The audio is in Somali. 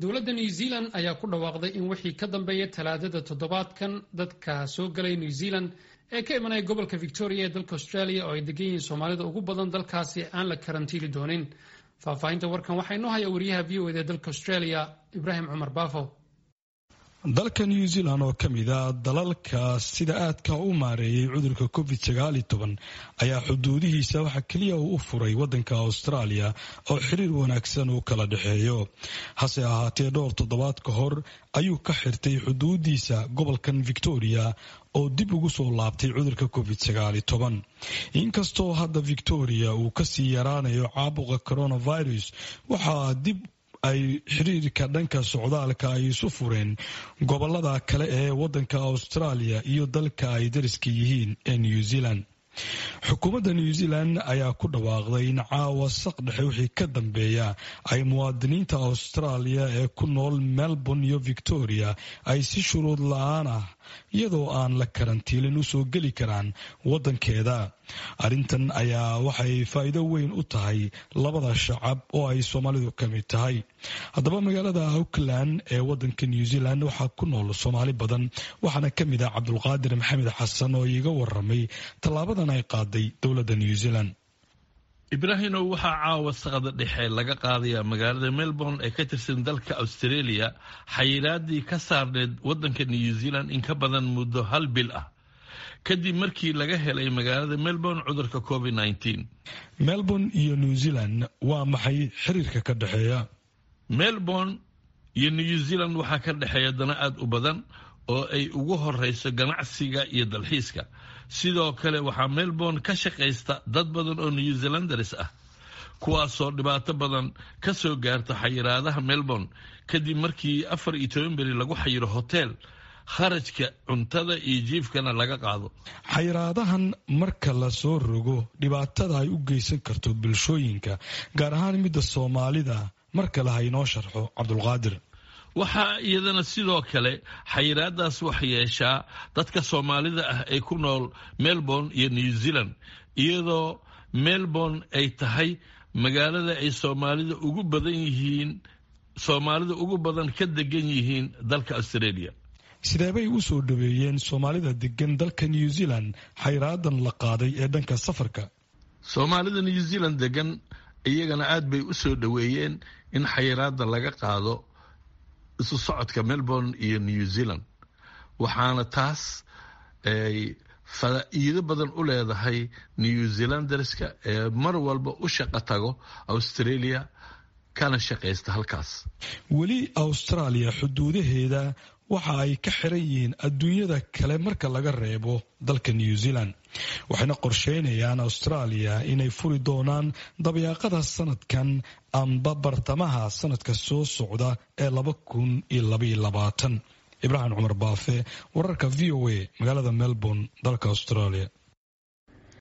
Dowladda New Zealand ayaa ku dhawaaqday in wixii ka dambeeya Talaadada toddobaadkan, dadka soo galay New Zealand ee ka imanaya gobolka Victoria ee dalka Australia, oo ay degan yihiin Soomaalida ugu badan dalkaasi, aan la karantiili doonin. Faahfaahinta warkan waxaa inoo haya wariyaha VOA da ee dalka Australia, Ibraahim Cumar Baafo. Dalka New Zealand, oo ka mid a dalalka sida aadka u maareeyay cudurka COVID-19, ayaa xuduudihiisa waxa keliya uu u furay wadanka Australia oo xiriir wanaagsan uu kala dhexeeyo. Hase ahaatee, dhowr toddobaad ka hor ayuu ka xirtay xuduudiisa gobolkan Victoria oo dib ugu soo laabtay cudurka COVID-19. Inkastoo hadda Victoria uu kasii yaraanayo caabuqa coronavirus, waxaa dib ay xiriirka dhanka socdaalka ay isu fureen gobolada kale ee wadanka Australia iyo dalka ay dariska yihiin ee New Zealand. Xukuumadda New Zealand ayaa ku dhawaaqday in caawa saq dhexe wixii ka dambeeya ay muwaadiniinta Australia ee ku nool Melbourne iyo Victoria ay si shuruud la-aan ah, iyadoo aan la karantiilin, usoo geli karaan wadankeeda. Arrintan ayaa waxay faa'iido weyn u tahay labada shacab oo ay Soomaalidu ka mid tahay. Haddaba, magaalada Auckland ee wadanka New Zealand waxaa ku nool Soomaali badan, waxaana ka mid ah Cabdulqaadir Maxamed Xasan oo iiga waramay tallaabadan ay qaaday dowladda New Zealand. Ibraahimow, waxaa caawa saqda dhexe laga qaadayaa magaalada Melbourne ee ka tirsan dalka Australia xayiraadii ka saarneed wadanka New Zealand in ka badan muddo hal bil ah, kadib markii laga helay magaalada Melbourne cudurka COVID-19. Melbourne iyo New Zealand, waa maxay xiriirka ka dhexeeya? Melbourne iyo New Zealand waxaa ka dhexeeya dana aad u badan oo ay ugu horeyso ganacsiga iyo dalxiiska. Sidoo kale, waxaa Melbourne ka shaqaysta dad badan oo New Zealanders ah, kuwaasoo dhibaato badan ka soo gaarta xayiraadaha Melbourne, kadib markii 14 beri lagu xayiro hotel, kharajka cuntada iyo jiifkana laga qaado. Xayiraadahan marka la soo rogo, dhibaatada ay u geysan karto bulshooyinka, gaar ahaan midda Soomaalida, mar kale ha inoo sharxo Cabdulqaadir. Waxaa iyadana sidoo kale xayiraadaas wax yeeshaa dadka Soomaalida ah ee ku nool Melbourne iyo New Zealand, iyadoo Melbourne ay tahay magaalada ay Soomaalida ugu badan yihiin, Soomaalida ugu badan ka degan yihiin dalka Australia. Sideebay u soo dhaweeyeen Soomaalida degan dalka New Zealand xayraadan la qaaday ee dhanka safarka? Soomaalida New Zealand degan iyagana aad bay u soo dhaweeyeen in xayiraada laga qaado isu socodka Melbourne iyo New Zealand, waxaana taas ay faa'iido badan u leedahay New Zealanderska ee mar walba u shaqo tago Australia kana shaqaysta halkaas. Weli Australia xuduudaheeda waxa ay ka xiran yihiin adduunyada kale marka laga reebo dalka New Zealand, waxayna qorsheynayaan Australia inay furi doonaan dabayaaqada sanadkan amba bartamaha sanadka soo socda ee 2022. Ibraahim Cumar Baafe, wararka VOA, magaalada Melbourne, dalka Australia.